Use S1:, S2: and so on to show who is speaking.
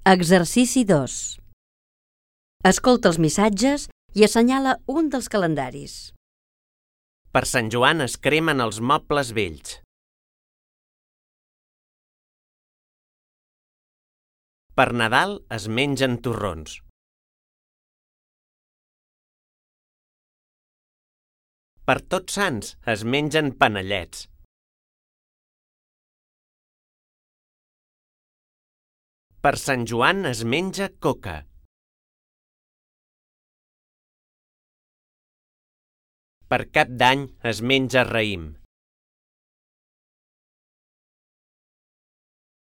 S1: Exercici 2. Escolta els missatges i assenyala un dels calendaris.
S2: Per Sant Joan es cremen els mobles vells. Per Nadal es mengen torrons. Per Tots Sants es mengen panellets. Per Sant Joan es menja coca. Per Cap d'Any es menja raïm.